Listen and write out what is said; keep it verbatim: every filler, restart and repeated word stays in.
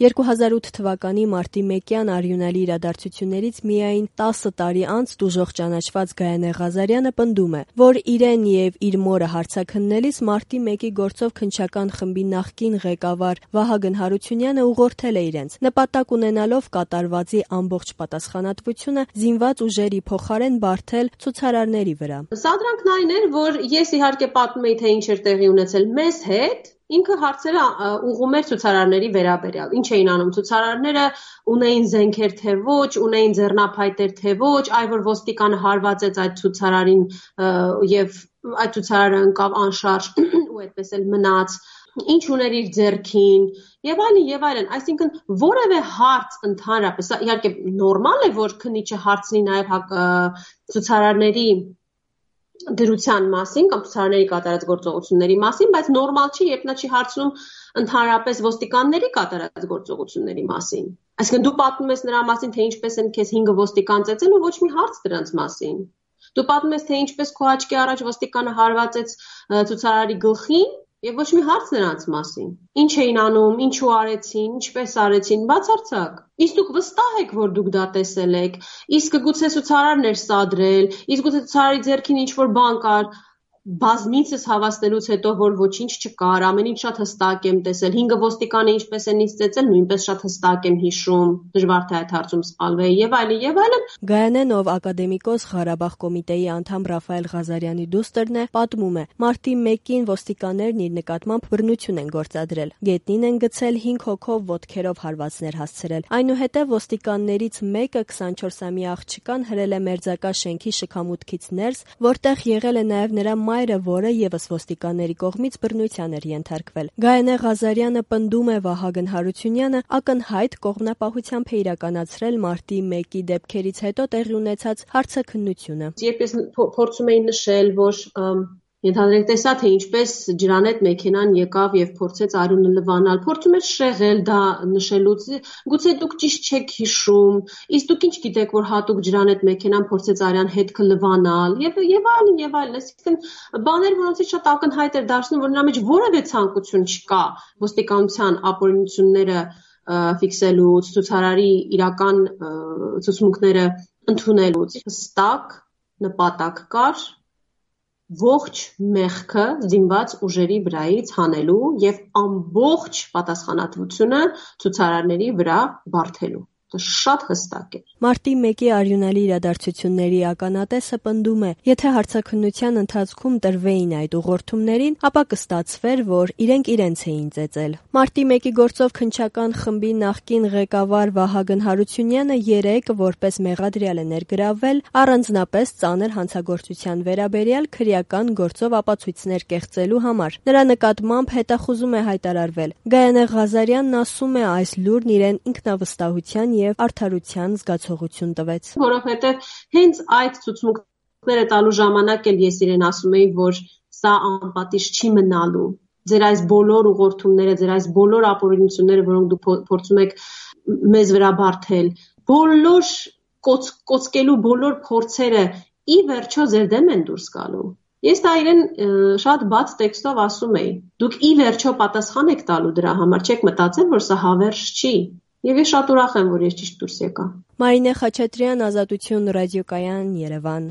երկու հազար ութ թվականի մարտի մեկյան արյունալի իրադարձություններից միայն տասը տարի անց տուժող ճանաչված Գայանե Ղազարյանը պնդում է, որ իրեն եւ իր մորը հարցաքննելիս մարտի մեկի գործով քննչական խմբի նախկին ղեկավար Վահագն Հարությունյանը ուղղորդել է իրենց, նպատակ ունենալով կատարվածի ամբողջ պատասխանատվությունը զինված ուժերի փոխարեն բարթել ցուցարարների վրա։ Սադրանքն այն էր, որ ես իհարկե պատմում էի, թե ինչ էր տեղի ունեցել մեզ հետ, ինքը հարցերը ուղղում էր ցուցարարների վերաբերյալ։ Ինչ էին անում ցուցարարները, ունեին զենքեր թե ոչ, ունեին ձեռնափայտեր թե ոչ, այ որ ոստիկանը հարվածեց այդ ցուցարարին եւ այդ ցուցարարը ընկավ անշարժ ու այդպես էլ մնաց, ինչ ուներ իր ձեռքին եւ այլն եւ այլն, այսինքն որևէ հարց ընդհանրապես, իհարկե նորմալ է, որ քննիչը հարցնի նաեւ ցուցարարների դրության մասին կամ ցուցարարների կատարած գործողությունների մասին, բայց նորմալ չի, երբ նա չի հարցնում ընդհանրապես ոստիկանների կատարած գործողությունների մասին։ Այսինքն դու պատմում ես նրա մասին, թե ինչպես են քեզ հինգը ոստիկան ծեծել ու ոչ մի հարց դրանց մասին։ Դու պատմում ես, թե ինչպես քո աչքի առաջ ոստիկանը հարվածեց ցուցարարի գլխին եւ ոչ մի հարց նրանց մասին։ Ինչ էին անում, ինչու արեցին, ինչպես արեցին, բացարձակ։ Իսկ դուք վստահ եք, որ դուք դա տեսել եք։ Իսկ գուցե ցուցարարն էր սադրել, իսկ գուցե ցուցարարի ձեռքին ինչ-որ բան կար, բազմիցս հավաստելուց հետո, որ ոչինչ չկար, ամեն ինչ շատ հստակ եմ տեսել, հինգը ոստիկանը ինչպես են ինձ ծեծել, նույնպես շատ հստակ եմ հիշում, դժվար թե այդ հարցում սխալվեի եւ այլն եւ այլն։ Գայանեն, ով ակադեմիկոս Ղարաբաղ կոմիտեի անդամ Ռաֆայել Ղազարյանի դուստրն է, պատմում է. մարտի մեկին ոստիկաններն իր նկատմամբ բռնություն են գործադրել, գետնին են գցել հինգ հոգով ոտքերով հարվածներ հասցրել։ Այնուհետև ոստիկաններից մեկը քսանչորսամյա աղջկան հրել է մերձակա շենքի շքամուտքից ներս, որտեղ եղել է նաեւ նրա մայրը, որը եւս ոստիկանների կողմից բռնության էր ենթարկվել։ Գայանե Ղազարյանը պնդում է Վահագն Հարությունյանը ակնհայտ կողմնապահությամբ է իրականացրել մարտի մեկի դեպքերից հետո տեղի ունեցած հարցաքննությունը։ Երբ ես փորձում էի նշել, որ Ենթադրենք տեսա, թե ինչպես ջրանետ մեքենան եկավ եւ փորձեց արյունը լվանալ, փորձում էր շեղել դա նշելուց, գուցե դուք ճիշտ չեք հիշում, իսկ դուք ինչ գիտեք, որ հատուկ ջրանետ մեքենան փորձեց արյան հետքը լվանալ եւ եւ այլն եւ այլն, այսինքն բաներ, որոնցից շատ ակնհայտ էր դարձնում, որ նրա մեջ որևէ ցանկություն չկա ոստիկանության ապօրինությունները ֆիքսելուց, ցուցարարի իրական ցուցմունքները ընդունելուց, հստակ նպատակ կար ողջ մեղքը զինված ուժերի վրայից հանելու եւ ամբողջ պատասխանատվությունը ցուցարարների վրա բարթելու։ Դա շատ հստակ է։ Մարտի մեկի արյունալի իրադարձությունների ականատեսը պնդում է, եթե հարցաքննության ընթացքում տրվեին այդ ուղղորդումներին, ապա կստացվեր, որ իրենք իրենց էին ծեծել։ Մարտի մեկի գործով քննչական խմբի նախկին ղեկավար Վահագն Հարությունյանը երեկ որպես մեղադրյալ է ներգրավվել առանձնապես ծանր հանցագործության վերաբերյալ քրեական գործով ապացույցներ կեղծելու համար։ Նրա նկատմամբ հետախուզում է հայտարարվել։ Գայանե Ղազարյանն ասում է, այս լուրն իրեն ինքնավստահության եւ արդարության զգացողություն տվեց։ Որովհետեւ հենց այդ ցուցմունքները տալու ժամանակ էլ ես իրեն ասում էի, որ սա անպատիժ չի մնալու։ Ձեր այս բոլոր ուղղորդումները, ձեր այս բոլոր ապօրինությունները, որոնք դուք փորձում եք մեզ վրա բարթել, բոլոր կոծկելու բոլոր փորձերը ի վերջո ձեր դեմ են դուրս գալու։ Ես դա իրեն շատ բաց տեքստով ասում էի։ Դուք ի վերջո պատասխան եք տալու դրա համար, չեք մտածել, որ սա հավերժ չի։ Եվ ես շատ ուրախ եմ, որ ես ճիշտ դուրս եկա։ Մարինե Խաչատրյան, Ազատություն ռադիոկայան, Երևան։